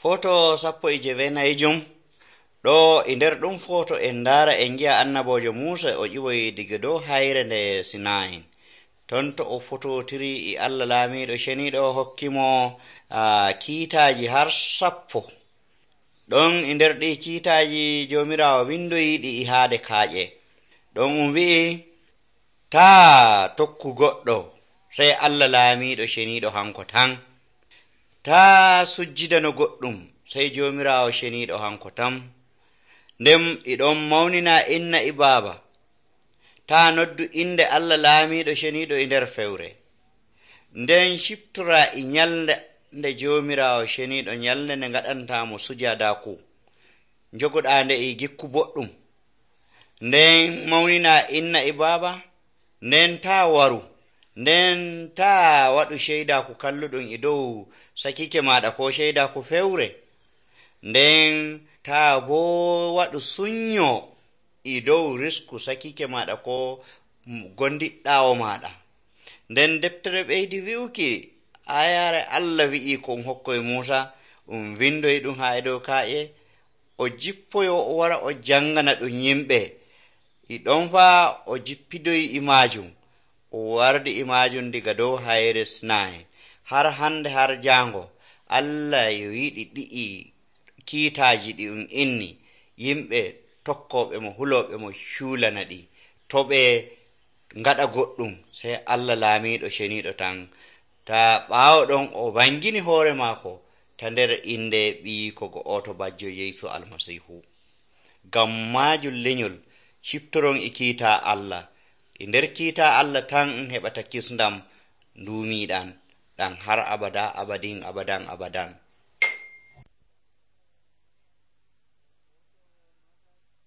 Foto 19 ɗo e nder ɗum foto en ndara en gi'a annabojo Musa o ƴiwoyi diga dow hayre nde Sinai. Ton to o fototiri e Allah laamiɗo ceniɗo hokkimo kiitaji har 10. ɗon e nder ɗi kiitaji jomirawo windoyi ɗi e haade kaaƴe. ɗon wi'i taa tokku goɗɗo sey Allah laamiɗo ceniɗo hanko tan. Taa sujjidano goɗɗum sey jomirawo ceniɗo hanko tan. Nden iɗon mawnina inna e baaba. Taa noddu inde Allah laamiɗo ceniɗo e nder fewre. Nden ciptora e nyalde nde jomirawo ceniɗo, nyalde nde ngaɗantamo sujadaku, jogoɗa nde e gikku boɗɗum. Nden mawnina inna e baaba. Nden taa waru. Nden taa waɗu ceydaku kalluɗum e dow sakike maɗa ko ceydaku fewre. Nden taa boo waɗu sunnyo e dow risku sakike maɗa ko gondiɗɗawo maɗa. Nden deftere ɓeydi wi'uki ayare Allah wi'i ko hokkoye Musa windoyi ɗum ha e dow ka'e, o jippoyo o wara o jangana ɗum yimɓe. E ɗon faa o jippidoyi e majum, o wardi e majum diga dow hayre Sinai har hande har jango. Allah yo yiɗi ɗi'i kiitaji ɗi inni yimɓe tokkoɓe mo, huloɓe mo cuulana ɗi. To ɓe ngaɗa goɗɗum sey Allah laamiɗo ceniɗo tan. Ta ɓaawo ɗon o bangini hoore maako ta nder inde ɓiyiko go oto bajjo Yeesu Almasihu. Ngam majum lenyol ciptoron e kiita Allah. E nder kiita Allah tan heɓata kisndam ndumiɗan ɗan har abada abadin abadan abadan.